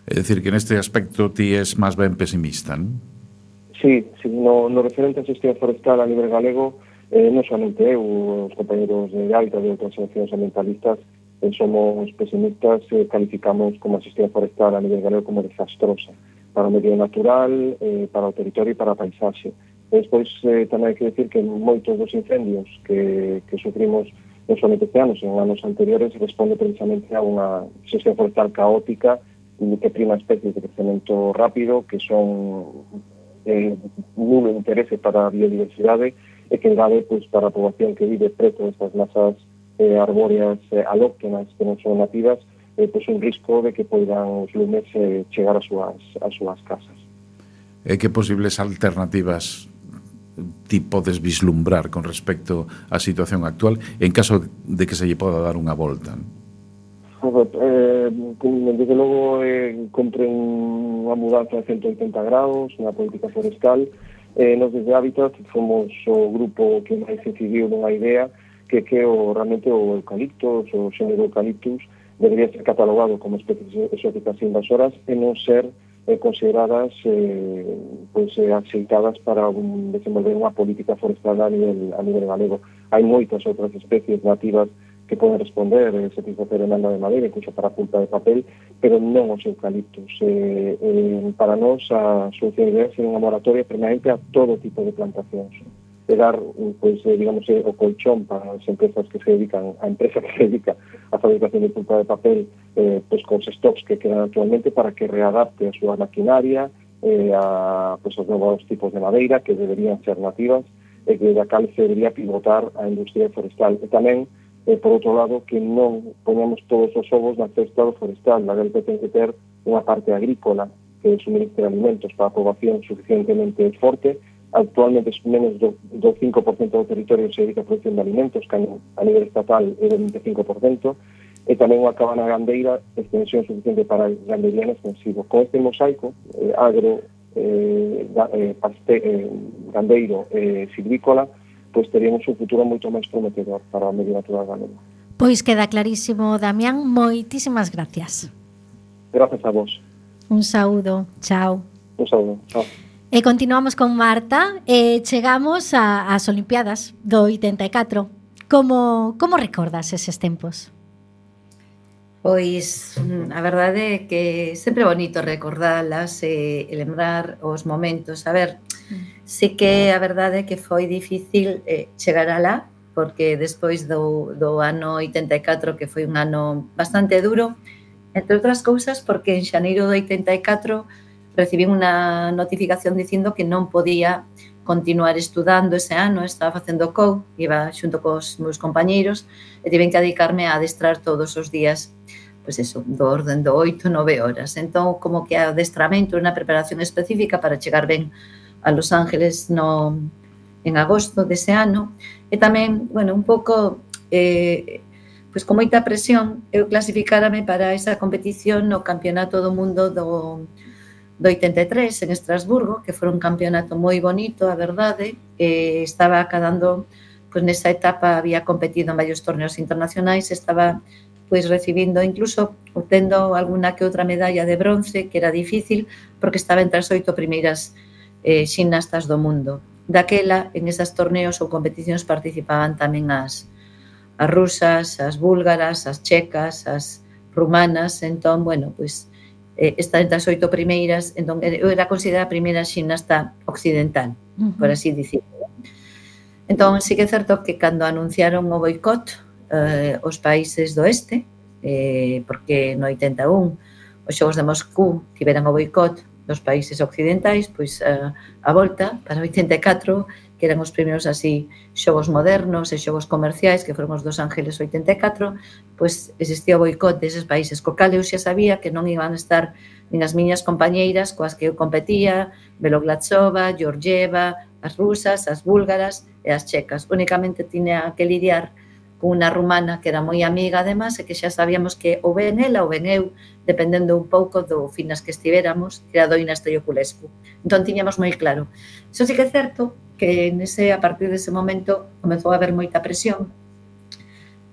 Speaker 2: É dicir, que neste aspecto ti es máis ben pesimista, non?
Speaker 8: Sí, no referente a xestión forestal a nivel galego, non somente eu, os compañeros de Gaita de outras asociacións ambientalistas, somos pesimistas, calificamos como a xestión forestal a nivel galego como desastrosa para o medio natural, para o territorio e para a paisaxe. Despois tamén hai que decir que moitos dos incendios que sufrimos non somente este ano, sino en anos anteriores, responde precisamente a unha xestión forestal caótica que prima especies de crecemento rápido, que son nulo interese para a biodiversidade e que engade pues, para a poboación que vive preto destas masas arbóreas alóctonas que non son nativas, pues un risco de que poidan os lumes chegar ás súas casas.
Speaker 2: E que posibles alternativas ti podes vislumbrar con respecto á situación actual en caso de que se lle poda dar unha volta?
Speaker 8: Desde logo compre unha mudanza de 180 graus, unha política forestal. Nos desde Hábitat fomos o grupo que máis incidiu nunha idea que realmente o eucalipto, o xénero eucaliptus, debería ser catalogado como especies exóticas invasoras e non ser consideradas axeitadas para desenvolver unha política forestal a nivel galego. Hai moitas outras especies nativas que poden responder, satisfacer a demanda de madeira, incluso para pulpa de papel, pero non os eucaliptos. Para nós, a solución ideal é unha moratoria permanente a todo tipo de plantacións. dar, pois, digamos, o colchón para as empresas que se dedican, a empresa que se dedica a fabricación de pulpa de papel, pois, cos stocks que quedan actualmente, para que readapte a súa maquinaria a, pois, os novos tipos de madeira que deberían ser nativas e que da cal se debería pivotar a industria forestal. E tamén, por outro lado, que non poñamos todos os ovos na cesta do forestal, da que ten que ter unha parte agrícola que suministre alimentos para a poboación suficientemente forte. Actualmente menos do 5% do territorio se dedica a producción de alimentos, que a nivel estatal é do 25%, e tamén unha cabana gandeira, extensión suficiente para gandería en extensivo. Con este mosaico, agro, gandeiro e silvícola, pois teríamos un futuro moito máis prometedor para o medio natural galego.
Speaker 3: Pois queda clarísimo, Damián, moitísimas gracias.
Speaker 8: Gracias a vos.
Speaker 3: Un saúdo, chao.
Speaker 8: Un saúdo, chao.
Speaker 3: E continuamos con Marta e chegamos ás Olimpiadas do 84. Como recordas eses tempos?
Speaker 6: Pois a verdade é que sempre é bonito recordalas e lembrar os momentos. A ver, sí que a verdade é que foi difícil chegar alá, porque despois do ano 84, que foi un ano bastante duro, entre outras cousas porque en xaneiro do 84 recibín unha notificación dicindo que non podía continuar estudando ese ano, estaba facendo COU, iba xunto cos meus compañeiros e tiven que dedicarme a adestrar todos os días, pois eso, do orden do 8-9 horas. Entón, como que adestramento, unha preparación específica para chegar ben a Los Ángeles en agosto dese ano. E tamén, bueno, un pouco, pois con moita presión, eu clasificárame para esa competición no Campeonato do Mundo do 83 en Estrasburgo, que foi un campeonato moi bonito, a verdade. Estaba acadando, pois nesa etapa había competido en varios torneos internacionais, estaba pois recibindo, incluso obtendo alguna que outra medalla de bronce, que era difícil, porque estaba entre as 8 primeiras ximnastas do mundo. Daquela, en esas torneos ou competicións participaban tamén as rusas, as búlgaras, as checas, as rumanas. Entón, bueno, pois está entre as 8 primeiras, entón eu era considerada a primeira ximnasta occidental, por así dicirlo. Entón, sí que é certo que cando anunciaron o boicot os países do este, porque no 81 os Xogos de Moscú tiveran o boicot dos países occidentais, pois a volta para o 84, que eran os primeiros así xogos modernos e xogos comerciais, que foron os dos Ángeles 84, pois existía o boicot deses países, co cal eu xa sabía que non iban a estar nin as miñas compañeiras coas que eu competía, Beloglazova, Georgieva, as rusas, as búlgaras e as checas. Únicamente tiña que lidiar con unha rumana que era moi amiga, además, e que xa sabíamos que ou ben ela ou ben eu, dependendo un pouco do finas que estivéramos, que era Doina Stoiculescu. Entón, tiñamos moi claro. Iso sí que é certo que a partir dese momento comezou a haber moita presión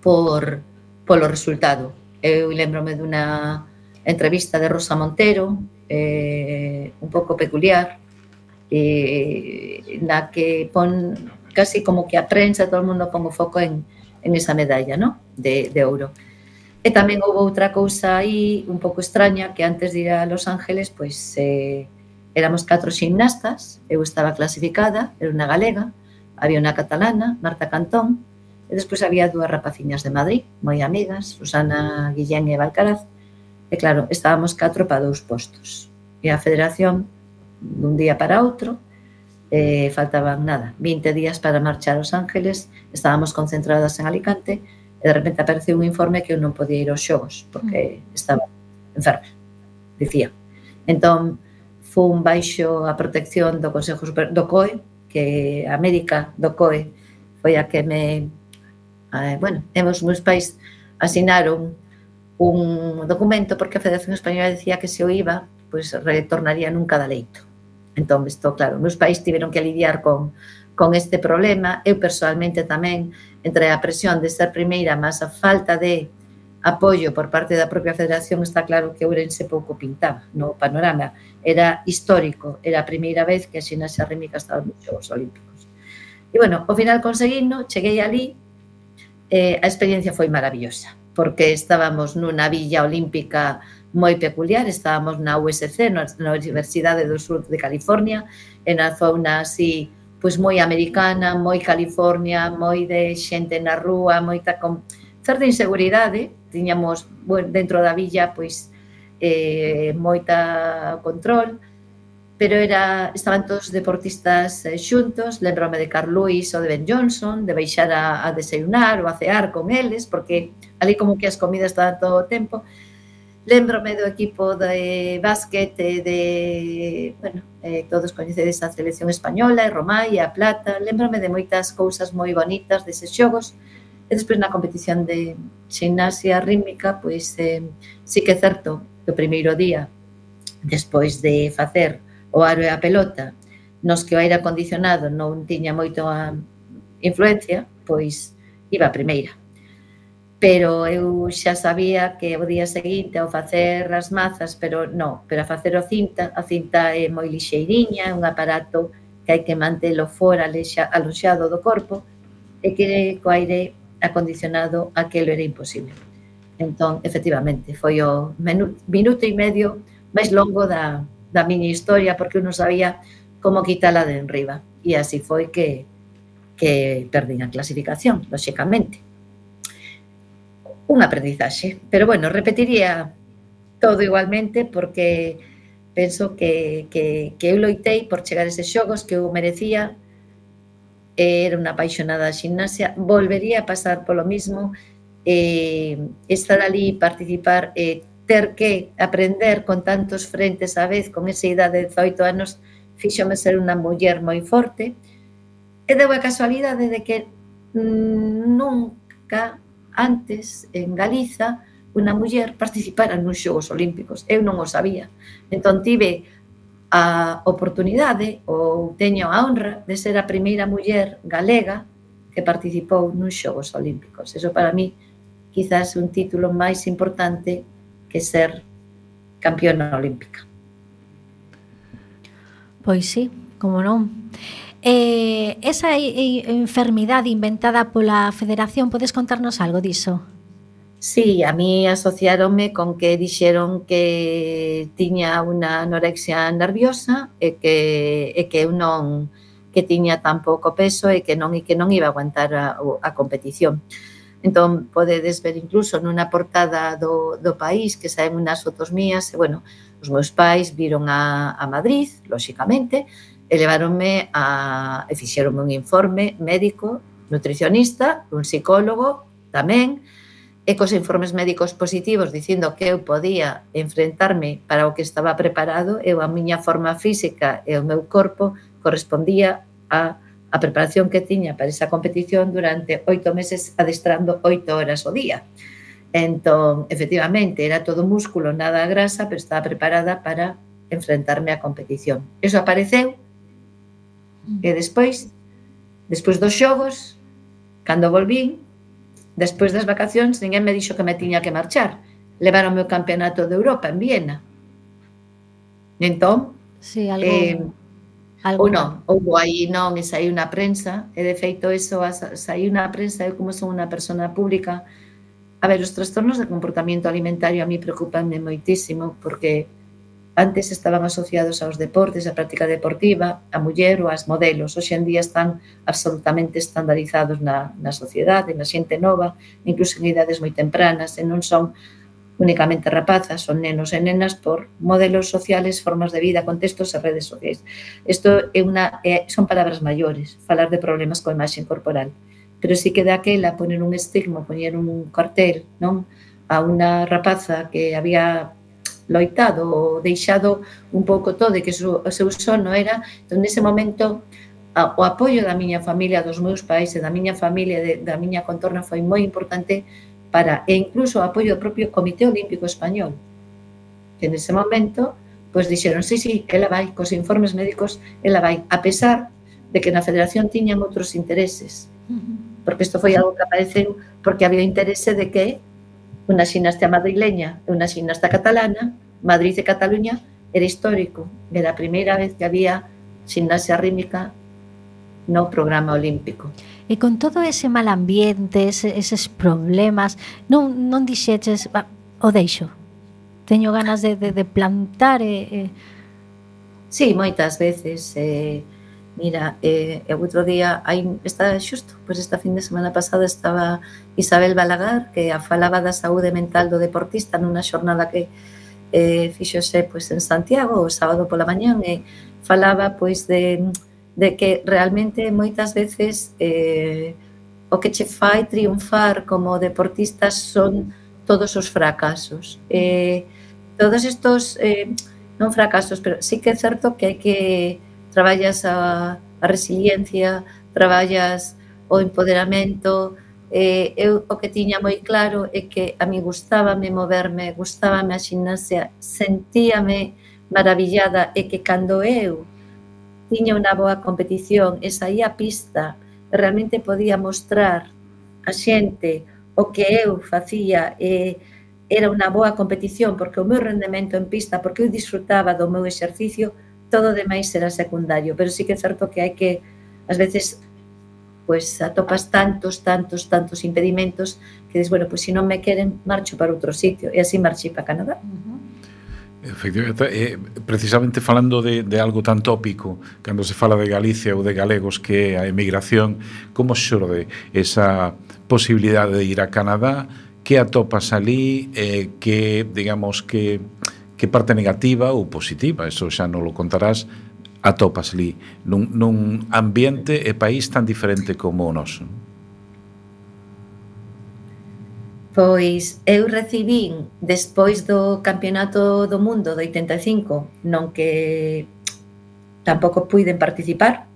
Speaker 6: polo resultado. Eu lembrome dunha entrevista de Rosa Montero, un pouco peculiar, na que pon casi como que a prensa, todo o mundo pon o foco en esa medalla, ¿no? de ouro. E tamén houve outra cousa aí un pouco extraña, que antes de ir a Los Ángeles, pois éramos 4 ximnastas, eu estaba clasificada, era unha galega, había unha catalana, Marta Cantón, e despois había 2 rapaciñas de Madrid, moi amigas, Susana Guillén e Valcaraz, e claro, estábamos 4 para 2 postos. E a federación, dun día para outro, faltaban 20 días para marchar aos Ángeles, estábamos concentradas en Alicante e de repente apareceu un informe que eu non podía ir aos xogos porque estaba enferma, dicía. Entón, fun baixo a protección do Consejo do COE, que a médica do COE foi a que me... os meus pais asinaron un documento porque a Federación Española decía que se o iba, pois retornaría nunca da leito. Entón, isto, claro, meus pais tiveron que lidiar con este problema. Eu, personalmente, tamén, entre a presión de ser primeira, mas a falta de apoio por parte da propia federación, está claro que Ourense pouco pintaba no panorama. Era histórico, era a primeira vez que a ximnasia rítmica estaba nos Xogos Olímpicos. E, bueno, ao final conseguindo, cheguei ali, a experiencia foi maravillosa, porque estábamos nunha villa olímpica moi peculiar, estábamos na USC, na Universidade do Sur de California, en a zona así pois moi americana, moi California, moi de xente na rúa, moita con certa inseguridade, tiñamos dentro da villa pois moita control, pero estaban todos os deportistas xuntos. Lembrome de Carl Lewis ou de Ben Johnson, de baixar a desayunar ou a cear con eles, porque ali como que as comidas estaban todo o tempo. Lembrome do equipo de básquet todos coñecedes a selección española, e Romai, e a Plata. Lembrome de moitas cousas moi bonitas deses xogos. E despois na competición de ximnasia rítmica, pois sí que é certo que o primeiro día, despois de facer o aro e a pelota, nos que o aire acondicionado non tiña moito a influencia, pois iba a primeira. Pero eu xa sabía que o día seguinte ao facer as mazas, pero a facer a cinta é moi lixeiriña, é un aparato que hai que mantelo fora aloxado do corpo, e que co aire acondicionado aquelo era imposible. Entón, efectivamente, foi o minuto e medio máis longo da miña historia, porque eu non sabía como quitala de enriba, e así foi que perdín a clasificación, lóxicamente. Un aprendizaxe, pero bueno, repetiría todo igualmente, porque penso que eu loitei por chegar a eses xogos, que eu merecía, era unha apaixonada da ximnasia, volvería a pasar polo mismo, estar ali, participar, ter que aprender con tantos frentes á vez, con esa idade de 18 anos, fíxome ser unha muller moi forte, e deu a casualidade de que nunca antes en Galiza unha muller participara nos Xogos Olímpicos. Eu non o sabía. Entón tive a oportunidade, ou teño a honra, de ser a primeira muller galega que participou nos Xogos Olímpicos. Eso para mí quizás un título máis importante que ser campeona olímpica.
Speaker 3: Pois sí, como non. Esa enfermidade inventada pola Federación, podes contarnos algo diso?
Speaker 6: Sí, a mí asociáronme con que dixeron que tiña unha anorexia nerviosa e que eu non, que tiña tan pouco peso e que non iba a aguantar a competición. Entón, podedes ver incluso nunha portada do País que saen unhas fotos mías, e, bueno, os meus pais viron a Madrid, lóxicamente, e leváronme e fixeronme un informe médico, nutricionista, un psicólogo tamén, e cos informes médicos positivos dicindo que eu podía enfrentarme para o que estaba preparado, a miña forma física e o meu corpo correspondía a preparación que tiña para esa competición durante 8 meses adestrando 8 horas ao día. Entón, efectivamente, era todo músculo, nada grasa, pero estaba preparada para enfrentarme á competición. Eso apareceu, e despois dos xogos, cando volvín, despois das vacacións, ninguén me dixo que me tiña que marchar. Levaronme o campeonato de Europa en Viena. Entón,
Speaker 3: sí,
Speaker 6: ou non, houve aí non, e saiu na prensa, e de feito eso saiu na prensa. Eu, como son unha persona pública, a ver, os trastornos de comportamento alimentario a mí preocupanme moitísimo, porque antes estaban asociados aos deportes, a práctica deportiva, a muller ou as modelos. Hoxe en día están absolutamente estandarizados na sociedade, na xente nova, incluso en idades moi tempranas, e non son únicamente rapazas, son nenos e nenas por modelos sociales, formas de vida, contextos e redes sociais. Isto son palabras maiores, falar de problemas coa imaxe corporal. Pero sí que daquela poner un estigma, poñer un cartel, non, a unha rapaza que había loitado ou deixado un pouco todo e que o seu sono era, entón, nese momento, o apoio da miña familia, dos meus pais e da miña familia, da miña contorna, foi moi importante e incluso o apoio do propio Comité Olímpico Español, que nese momento pois dixeron, sí, ela vai, cos informes médicos ela vai, a pesar de que na Federación tiñan outros intereses, porque isto foi algo que apareceu porque había interese de que unha ximnasta madrileña e unha ximnasta catalana, Madrid e Cataluña, era histórico, era a primeira vez que había ximnasia rítmica no programa olímpico.
Speaker 3: E con todo ese mal ambiente, eses problemas, non dixeches, o deixo, teño ganas de plantar
Speaker 6: Sí, moitas veces. Mira, outro día, esta fin de semana pasada estaba Isabel Balagar, que falaba da saúde mental do deportista nunha xornada que fíxose pois, en Santiago o sábado pola mañán, e falaba pois de que realmente moitas veces o que che fai triunfar como deportista son todos os fracasos. Todos estos, non fracasos, pero sí que é certo que hai que traballas a resiliencia, traballas o empoderamento. Eu o que tiña moi claro é que a mí gustábame moverme, gustábame a ximnasia, sentíame maravillada, e que cando eu tiña unha boa competición e saía a pista e realmente podía mostrar a xente o que eu facía, era unha boa competición porque o meu rendemento en pista, porque eu disfrutaba do meu exercicio, todo demais era secundario. Pero sí que é certo que hai que, ás veces, pois atopas tantos impedimentos que dices, bueno, pois se non me queren, marcho para outro sitio, e así marchei para Canadá.
Speaker 2: Efectivamente, precisamente falando de algo tan tópico, cando se fala de Galicia ou de galegos, que é a emigración, como xorde esa posibilidade de ir a Canadá? Que atopas ali? Que, digamos, que parte negativa ou positiva, eso xa non lo contarás, atopas ali nun ambiente e país tan diferente como o noso?
Speaker 6: Pois eu recibín despois do Campeonato do Mundo do 85, non que tampouco puiden participar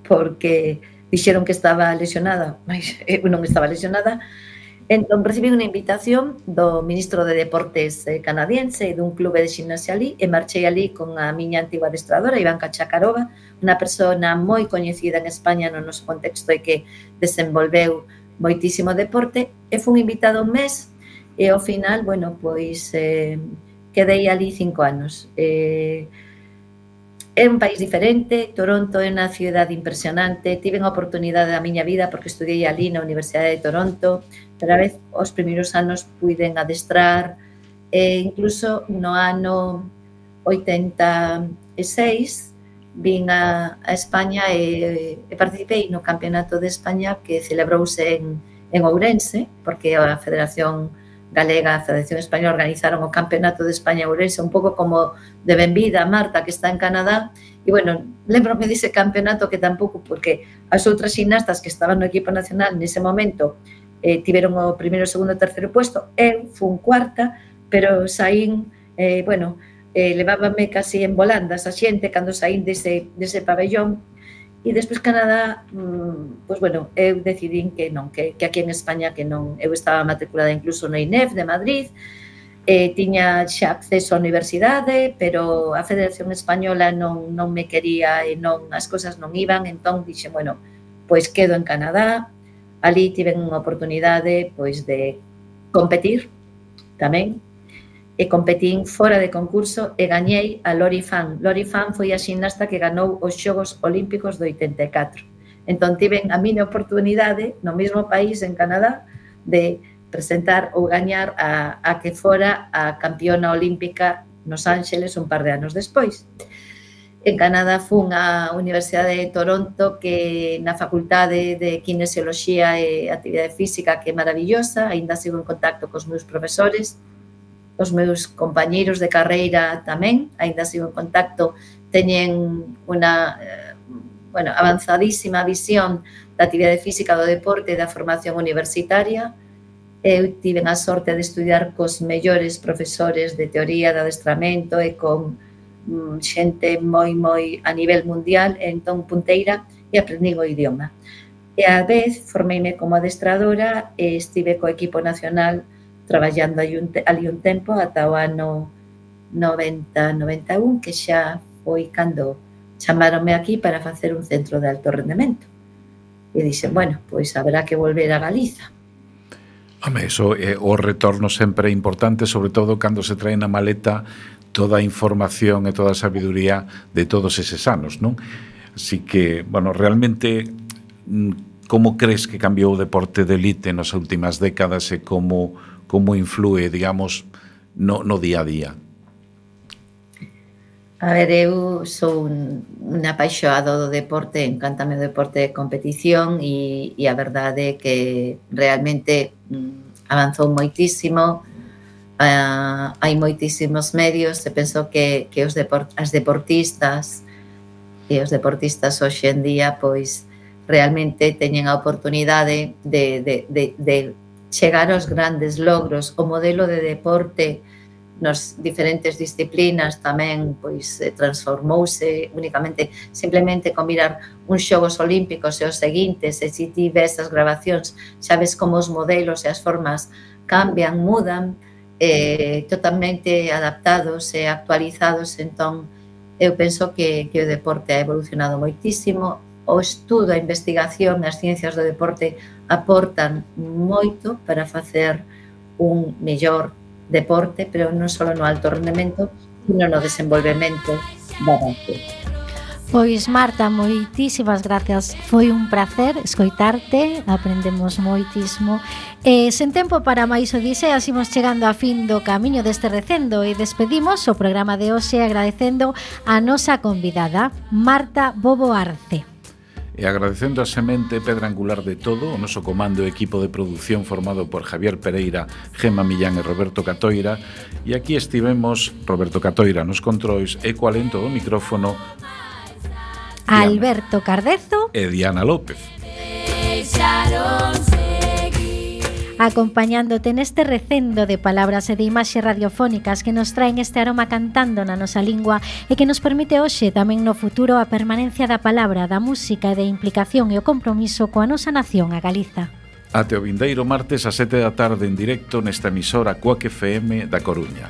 Speaker 6: porque dixeron que estaba lesionada, mas eu non estaba lesionada. Entón recibí unha invitación do ministro de Deportes canadiense e dun clube de ximnasia ali, e marchei ali con a miña antigua adestradora, Ivanka Chakarova, unha persona moi coñecida en España no noso contexto e que desenvolveu moitísimo deporte, e fun invitada un mes, e ao final, bueno, pois quedei ali 5 anos. É un país diferente, Toronto é unha cidade impresionante, tive a oportunidade da miña vida porque estudiei ali na Universidade de Toronto, pero a vez os primeiros anos puiden adestrar, e incluso no ano 86 vin a España e participei no Campeonato de España que celebrouse en Ourense, porque a Federación Galega, a Federación Española organizaron o Campeonato de España en Ourense, un pouco como de benvida a Marta, que está en Canadá. E, bueno, lembrome dese campeonato que tampouco, porque as outras ximnastas que estaban no equipo nacional nese momento tiveron o primeiro, segundo e terceiro puesto, eu fun cuarta, pero saín, levábame casi en volandas a xente cando saín dese pabellón. E despois Canadá, pois bueno, eu decidín que non, que aquí en España que non, eu estaba matriculada incluso no INEF de Madrid, tiña xa acceso á universidade, pero a Federación Española non me quería e as cousas non iban, entón dixe, bueno, pois quedo en Canadá, ali tiven unha oportunidade pois de competir tamén, e competín fora de concurso e gañei a Lori Fan. Lori Fan foi a ximnasta que ganou os Xogos Olímpicos do 84. Entón, tiven a miña oportunidade no mesmo país, en Canadá, de presentar ou gañar a que fora a campeona olímpica nos Ángeles un par de anos despois. En Canadá fun á Universidade de Toronto, que na Facultade de Kinesioloxía e Actividade Física, que é maravillosa, aínda sigo en contacto cos meus profesores, os meus compañeiros de carreira tamén, aínda sigo en contacto, teñen unha avanzadísima visión da actividade física, do deporte e da formación universitaria. Eu tive a sorte de estudiar cos mellores profesores de teoría de adestramento e con xente moi a nivel mundial, entón punteira, e aprendín o idioma. E a vez formeime como adestradora e estive co equipo nacional traballando ali un tempo ata o ano 90-91, que xa foi cando chamaronme aquí para facer un centro de alto rendemento. E dixen, bueno, pois haberá que volver a Galiza.
Speaker 2: Home, eso é o retorno sempre importante, sobre todo cando se trae na maleta toda a información e toda a sabiduría de todos eses anos, non? Así que, bueno, realmente, como crees que cambiou o deporte de elite nas últimas décadas e como influe, digamos, no día a día?
Speaker 6: A ver, eu sou un apaixoado do deporte, encántame o deporte de competición e a verdade é que realmente avanzou moitísimo, hai moitísimos medios e penso que as deportistas e os deportistas hoxe en día pois realmente teñen a oportunidade de chegar aos grandes logros. O modelo de deporte nas diferentes disciplinas tamén pois transformouse únicamente simplemente con mirar uns xogos olímpicos e os seguintes, e se ti ves as grabacións sabes como os modelos e as formas cambian, mudan, totalmente adaptados e actualizados. Entón eu penso que o deporte ha evolucionado moitísimo. O estudo, a investigación, as ciencias do deporte aportan moito para facer un mellor deporte, pero non só no alto rendemento, sino no desenvolvemento da base.
Speaker 3: Pois Marta, moitísimas gracias. Foi un placer escoitarte, aprendemos moitísimo. Sen tempo para máis odiseas, imos chegando a fin do camiño deste recendo e despedimos o programa de hoxe agradecendo a nosa convidada, Marta Bobo Arce.
Speaker 2: E agradecendo a semente pedra angular de todo, o noso comando e equipo de produción formado por Javier Pereira, Gemma Millán e Roberto Catoira. E aquí estivemos Roberto Catoira nos controis e co alento do micrófono
Speaker 3: Alberto Cardezo
Speaker 2: e Diana López.
Speaker 3: Acompañándote neste recendo de palabras e de imaxes radiofónicas que nos traen este aroma cantando na nosa lingua e que nos permite hoxe tamén no futuro a permanencia da palabra, da música e da implicación e o compromiso coa nosa nación, a Galiza.
Speaker 2: Até o vindeiro martes a 7 da tarde en directo nesta emisora Cuac FM da Coruña.